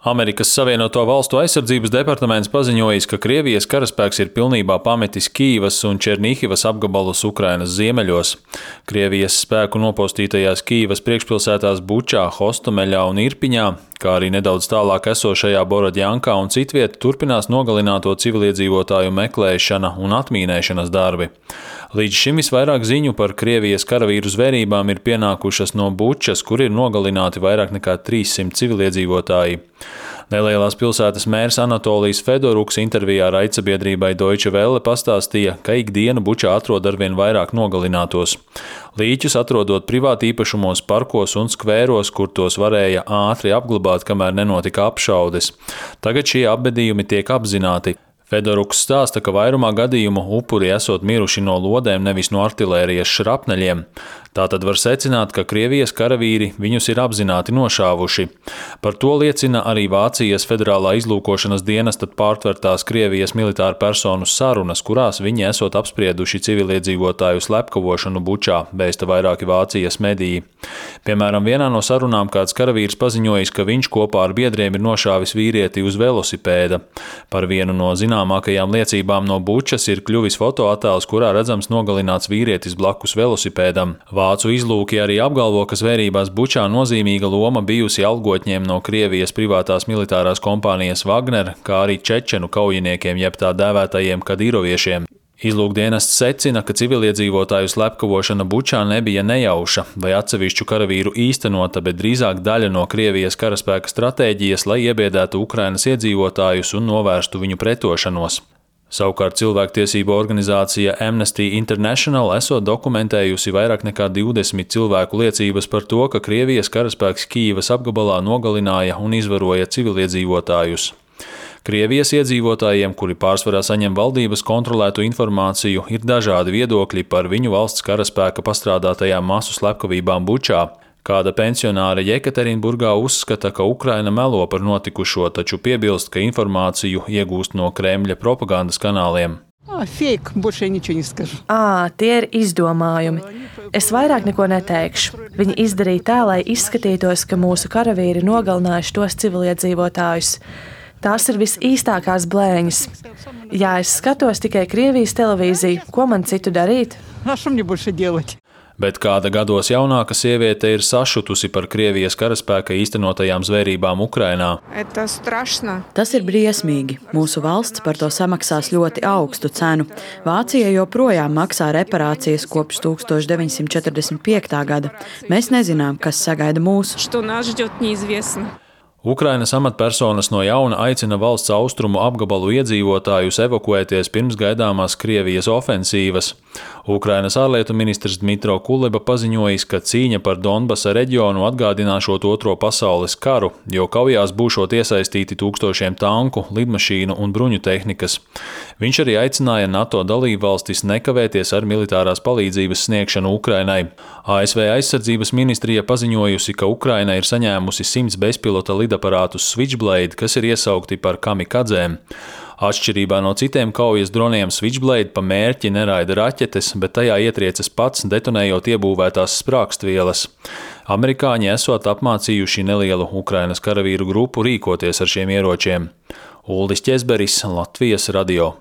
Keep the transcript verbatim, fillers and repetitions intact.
Amerikas Savienoto Valstu aizsardzības departaments paziņojis, ka Krievijas karaspēks ir pilnībā pametis Kīivas un Černihivas apgabalus Ukrainas ziemeļos. Krievijas spēku nopostītajās Kīivas priekšpilsētās Bučā, Hostomeļā un Irpiņā, kā arī nedaudz tālāk esošajā Borodjankā un citviet, turpinās nogalināto civiliedzīvotāju meklēšana un atmīnēšanas darbi. Līdz šim visvairāk ziņu par Krievijas karavīru zvērībām ir pienākušas no Bučas, kur ir nogalināti vairāk nekā trīssimt civiliedzīvotāji. Nelielās pilsētas mērs Anatolijs Fedoruks intervijā raidsabiedrībai Deutsche Welle pastāstīja, ka ikdienu Bučā atrod arvien vairāk nogalinātos. Līķus atrodot privātīpašumos, parkos un skvēros, kur tos varēja ātri apglabāt, kamēr nenotika apšaudes. Tagad šie apbedījumi tiek apzināti. Fedoruks stāsta, ka vairumā gadījumu upuri esot miruši no lodēm, nevis no artilērijas šrapneļiem. Tātad var secināt, ka Krievijas karavīri viņus ir apzināti nošāvuši. Par to liecina arī Vācijas federālā izlūkošanas dienesta pārtvertās Krievijas militāru personu sarunas, kurās viņi esot apsprieduši civiliedzīvotāju slepkavošanu Bučā, vēsta vairāki Vācijas mediji. Piemēram, vienā no sarunām kāds karavīrs paziņojis, ka viņš kopā ar biedriem ir nošāvis vīrieti uz velosipēda. Par vienu no zināmākajām liecībām no Bučas ir kļuvis fotoattēls, kurā redzams nogalināts vīrietis blakus velosipēdam. Vācu izlūki arī apgalvo, ka zvērībās Bučā nozīmīga loma bijusi algotņiem no Krievijas privātās militārās kompānijas Wagner, kā arī čečenu kaujiniekiem, jeb tā dēvētajiem kadīroviešiem. Izlūkdienests secina, ka civiliedzīvotāju slepkavošana Bučā nebija nejauša vai atsevišķu karavīru īstenota, bet drīzāk daļa no Krievijas karaspēka stratēģijas, lai iebiedētu Ukrainas iedzīvotājus un novērstu viņu pretošanos. Savukārt cilvēktiesību organizācija Amnesty International esot dokumentējusi vairāk nekā divdesmit cilvēku liecības par to, ka Krievijas karaspēks Kīivas apgabalā nogalināja un izvaroja civiliedzīvotājus. Krievijas iedzīvotājiem, kuri pārsvarā saņem valdības kontrolētu informāciju, ir dažādi viedokļi par viņu valsts karaspēka pastrādātajām masu slepkavībām Bučā. Kāda pensionāre Jekaterinburgā uzskata, ka Ukraina melo par notikušo, taču piebilst, ka informāciju iegūst no Kremļa propagandas kanāliem. Fake, больше ничего не скажу. Ā, tie ir izdomājumi. Es vairāk neko neteikšu. Viņi izdarīja tā, lai izskatītos, ka mūsu karavīri nogalinājuši tos civiliedzīvotājus. Tās ir visīstākās blēņas. Ja es skatos tikai Krievijas televīziju, ko man citu darīt? А что мне больше делать? Bet kāda gados jaunāka sieviete ir sašutusi par Krievijas karaspēka īstenotajām zvērībām Ukrainā. Tas ir briesmīgi. Mūsu valsts par to samaksās ļoti augstu cenu. Vācija joprojām maksā reparācijas kopš tūkstoš deviņsimt četrdesmit piektā gada. Mēs nezinām, kas sagaida mūsu. Ukrainas amatpersonas no jauna aicina valsts austrumu apgabalu iedzīvotājus evakuēties pirms gaidāmās Krievijas ofensīvas. Ukrainas ārlietu ministrs Dmitro Kuleba paziņojis, ka cīņa par Donbasa reģionu atgādināšot Otro pasaules karu, jo kaujās būšot iesaistīti tūkstošiem tanku, lidmašīnu un bruņu tehnikas. Viņš arī aicināja NATO dalībvalstis nekavēties ar militārās palīdzības sniegšanu Ukrainai. A S V aizsardzības ministrija paziņojusi, ka Ukraina ir saņēmusi simts bezpilota lidaparātus Switchblade, kas ir iesaukti par kamikadzēm. Atšķirībā no citiem kaujas droniem Switchblade pa mērķi neraida raķetes, bet tajā ietriecas pats, detonējot iebūvētās sprākstvielas. Amerikāņi esot apmācījuši nelielu Ukrainas karavīru grupu rīkoties ar šiem ieročiem. Uldis Ķezberis, Latvijas radio.